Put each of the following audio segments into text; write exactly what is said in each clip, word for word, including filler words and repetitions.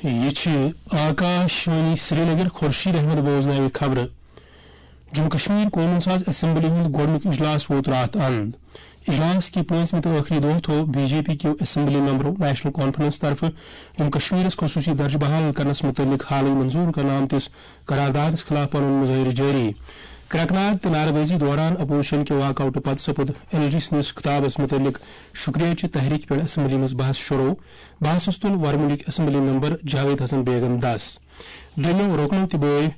یہِ چھِ آکاشوانی سرینگر۔ خورشید احمد بوزناوِ خبرٕ۔ جموں کشمیر قونوٗن ساز اسمبلی ہُنٛد گۄڈٕنیُک اجلاس ووت راتھ اند۔ اجلاس کہِ پٲنٛژمہِ تہٕ ٲخری دۄہ تھوو بی جے پی کیو اسمبلی ممبرو نیشنل کانفرنس طرفہٕ جموں کشمیرس خصوٗصی درجہٕ بحال کرنس مُتعلق حالٕے منظوٗر کرنہٕ آمتِس قراردادس خلاف پنُن مظٲہرٕ جٲری۔ کرٛٮ۪کہٕ ناد تہٕ نعرٕ بٲزی دوران اپوزیشن کہِ واک آوٹہٕ پتہٕ سپُد ایل جی سٕنٛدِس خطابس مُتعلق شُکریہ چہِ تحریٖک پٮ۪ٹھ اسمبلی منٛز بحث شروع۔ بحثس تُل ورمُلٕکۍ اسمبلی ممبر جاوید حسن بیگن دس۔ دوٚیمٮ۪و رُکنو تہِ بٲوۍ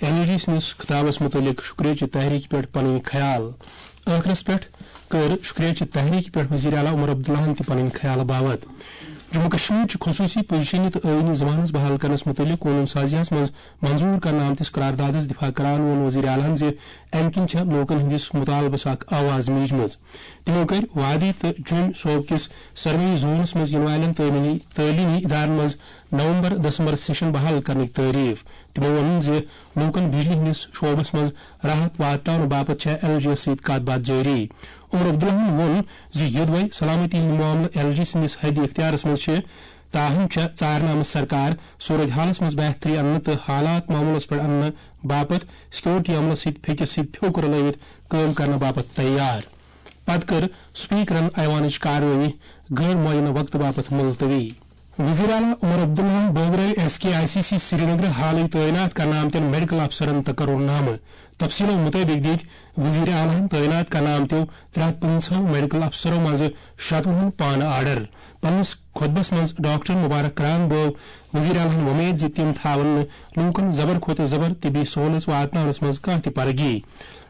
ایل جی سٕنٛدِس خطابس مُتعلق شُکریہ چہِ تحریٖک پٮ۪ٹھ پنٕنۍ خیال۔ ٲخرس پٮ۪ٹھ کٔر شُکریہ چہِ تحریٖک پٮ۪ٹھ وزیر اعلیٰ عمر عبداللہن تہِ پنٕنۍ خیال باوت۔ جموں کشمیر چہِ خصوٗصی پوزیشنہِ تہٕ ٲیٖنی ضمانت بحال کرنس مُتعلق قونوٗن سازیَس منٛز منظوٗر کرنہٕ آمتِس قراردادس دفاع کران ووٚن وزیر اعلیٰ ہن زِ امہِ کِنۍ چھےٚ لوٗکن ہٕنٛدِس مُطالبس اکھ آواز میٖجمٕژ۔ تِمو کٔرۍ وادی تہٕ جوٚمۍ صوبہٕ کِس سروے زونس منٛز یِنہٕ والٮ۪ن تعلیمی، تعلیمی ادارن منٛز نومبر دسمبر سیشن بحال کرنٕکۍ تعریف۔ تِمو ووٚن زِ لوٗکن بجلی ہٕنٛدِس شعبس منٛز راحت واتناونہٕ باپتھ چھےٚ ایل جی یس سۭتۍ کتھ باتھ جٲری۔ عمر عبداللہن ووٚن زِ یوٚدوے سلامتی ہٕنٛدۍ معاملہٕ ایل جی سٕنٛدِس حدِ اختیارس منٛز چھِ، تاہم چھےٚ ژارنہٕ آمٕژ سرکار صورت حالس منٛز بہتری اننہٕ تہٕ حالات معمولس پٮ۪ٹھ اننہٕ باپتھ سیکورٹی عملس سۭتۍ پھیٚکِس سۭتۍ پھیوٚکُر لٲوِتھ کٲم کرنہٕ باپتھ تیار۔ پتہٕ کٔر سپیکرن ایوانٕچ کاروٲیی غٲر معینہ وقتہٕ باپتھ ملتوی۔ وزیر اعلیٰ عمر عبداللہن بٲگرٲوۍ S K I C C Srinagar حالٕے تعینات کرنہٕ آمتٮ۪ن میڈیکل افسرن تقرر نامہٕ۔ تفصیلو مُطٲبِق دِتۍ وزیر اعلیٰ ہن تعینات کرنہٕ آمتیو ترٛےٚ ہتھ پٕنٛژٕہو میڈیکل افسرو منٛزٕ شتوُہن پانہٕ آرڈر۔ پننِس خطبس منٛز ڈاکٹر مبارک کران بٲو وزیر اعلیٰ ہن وۄمید زِ تِم تھاون نہٕ لوٗکن زبر کھۄتہٕ زبر طبی سہوٗلژ واتناونس منٛز کانٛہہ تہِ پرگی۔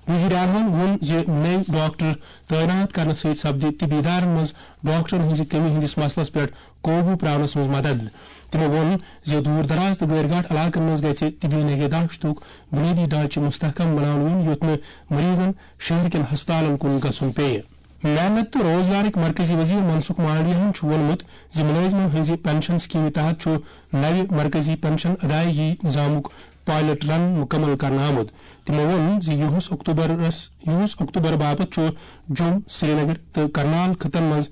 وزیر اعلیٰ ہن ووٚن زِ نٔوۍ ڈاکٹر تعینات کرنہٕ سۭتۍ سپدِ طبی ادارن منٛز ڈاکٹرن ہٕنٛزِ کٔمی ہٕنٛدِس مسلس پٮ۪ٹھ قوبوٗ پراونس منٛز مدد۔ تِمو ووٚن زِ دوٗر دراز تہٕ غٲر گاٹھ علاقن منٛز گژھِ طبی نگہداشتُک بنیٲدی ڈھانچہٕ مستحکم بناونہٕ یُن، یُتھ نہٕ مریضن شہر کٮ۪ن ہسپتالن کُن گژھُن پیٚیہِ۔ محنت تہٕ روزگارٕکۍ مرکزی وزیر منسکھ مانڈویاہن چھُ ووٚنمُت زِ مُلٲزمن ہٕنٛزِ پنشن سکیمہِ تحت چھُ نوِ مرکزی پنشن ادائیگی نظامُک پائلٹ رن مُکمل کرنہٕ آمُت۔ تِمو ووٚن زِ یِہُس اکتوبرس، یِہُس اکتوبر باپتھ چھُ جوٚم، سرینگر تہٕ کرنال خطن منٛز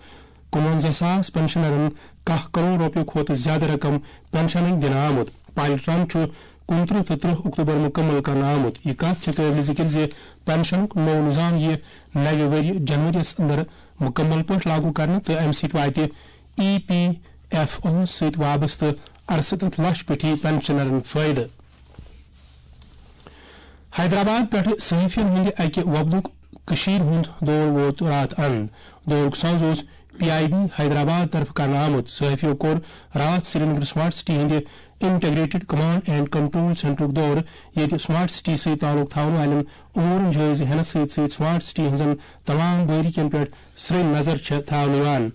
کُنوَنزاہ ساس پنشنرن کاہ کروڑ رۄپیہِ کھۄتہٕ زیادٕ رقم پنشنٕکۍ دِنہٕ آمُت۔ پائلٹ رن چھُ کُنترٕہ تہٕ ترٕہ اکتوبر مُکمل کرنہٕ آمُت۔ یہِ کتھ چھِ قٲبلِ ذِکِر زِ پنشنُک نوٚو نظام یِیہِ نوِ ؤرۍ جنوری یَس اندر مُکمل پٲٹھۍ لاگو کرنہٕ تہٕ امہِ سۭتۍ واتہِ ای پی ایف اوَس سۭتۍ وابستہٕ اَرسَتَتھ لچھ پیٹھی پنشنرن فٲیدٕ۔ حیدرآباد پٮ۪ٹھٕ صحافین ہٕنٛدِ اَکہِ وفدُک کٔشیٖرِ ہُنٛد دورٕ ووت راتھ اند۔ دورُک سنز اوس پی آئی بی حیدرآباد طرفہٕ کرنہٕ آمُت۔ صحافیو کوٚر راتھ سرینگر سمارٹ سٹی ہٕنٛدِ انٹیگریٹڈ کمانڈ اینڈ کنٹرول سینٹرُک دورٕ، ییٚتہِ سمارٹ سٹی سۭتۍ تعلق تھاون والٮ۪ن امورن جٲیزٕ ہینس سۭتۍ سۭتۍ سمارٹ سٹی ہٕنٛزن تمام بٲریکین پٮ۪ٹھ سرٛنۍ نظر چھےٚ تھاونہٕ یِوان۔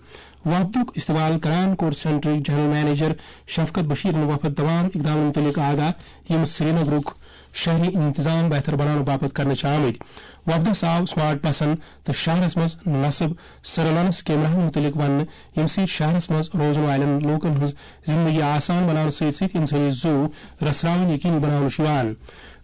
وفدُک استقبال کران کوٚر سینٹرٕکۍ جنرل منیجر شفقت بشیرن وفد تمام اقدامن مُتعلق آگاہ، یِم سرینگرُک شہری انتظام بہتر بناونہٕ باپتھ کرنہٕ چھِ آمٕتۍ۔ وفدس آو سمارٹ بسن تہٕ شہرس منٛز نصب سرلنس کیمراہن مُتعلق وننہٕ، ییٚمہِ سۭتۍ شہرس منٛز روزن والٮ۪ن لوٗکن ہٕنٛز زندگی آسان بناونہٕ سۭتۍ سۭتۍ انسٲنی زُو رژھراوٕنۍ یقینی بناونہٕ چھُ یِوان۔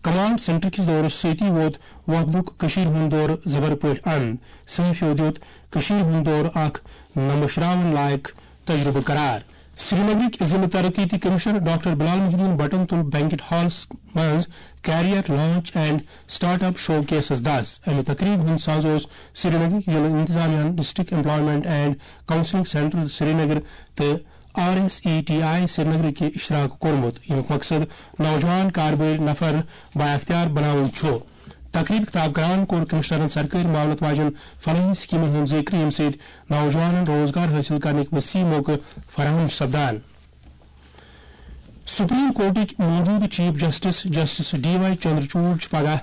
کمانڈ سینٹر کِس دورس سۭتی ووت وفدُک کٔشیٖرِ ہُنٛد دورٕ زبر پٲٹھۍ اند۔ صحافیو دیُت کٔشیٖرِ ہُنٛد دورٕ اکھ نمشراوُن لایق تجربہٕ قرار۔ سرینگرٕکۍ ضلع ترقیتی commissioner doctor Bilal Mohiuddin بٹن تُل بینکٹ ہالس منٛز career launch and start up شو کیسس دس۔ امہِ تقریبہِ ہُنٛد ساز اوس سرینگرٕکۍ ضلع انتظامیہ ہن district employment and counselling centre Srinagar تہٕ R S E T I سرینگرٕکہِ اشتراک کوٚرمُت، ییٚمیُک مقصد نوجوان کاربٲرۍ نفر بااختیار بناوُن چھُ۔ تقریب خطاب کران کوٚر کمشنرن سرکٲرۍ معاونت واجٮ۪ن فلاحی سکیمن ہُنٛد ذکر، ییٚمہِ سۭتۍ نوجوانن روزگار حٲصِل کرنٕکۍ وسیع موقعہٕ فراہم چھِ سپدان۔ سپریم کورٹٕکۍ موجودٕ chief justice justice D Y Chandrachud چھِ پگاہ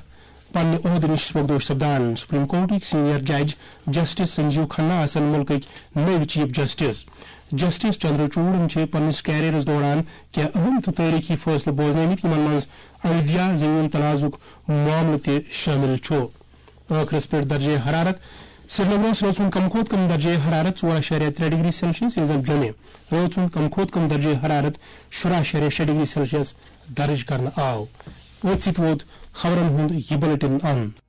پننہِ عہدٕ نِش سُبکدوش سپدان۔ سپریم کورٹٕکۍ سینئر جج جسٹس سنجیو کھنہ آسن مُلکٕکۍ نٔوۍ چیف جسٹس۔ جسٹس چندرچوڑن چھِ پننِس کیریئرس دوران کینٛہہ اہم تہٕ تٲریخی فٲصلہٕ بوزنٲومٕتۍ، یِمن منٛز ایودھیا زٔمیٖن تنازعُک معاملہٕ تہِ شٲمِل چھُ۔ ٲخرس پٮ۪ٹھ درجہ حرارت۔ سرینگرس روٗد وُنہِ کم کھۄتہٕ کم درجہ حرارت ژور اَشاریہ ترٛےٚ ڈگری سیلسیس، ییٚلہِ زن جوٚمہِ روٗد وُنہِ کم کھۄتہٕ کم درجہ حرارت شُراہ اَشاریہ شےٚ ڈگری سیلسیس درج کرنہٕ آو۔ أتھۍ سۭتۍ ووت خبرن ہُنٛد یہِ بلیٹن اند۔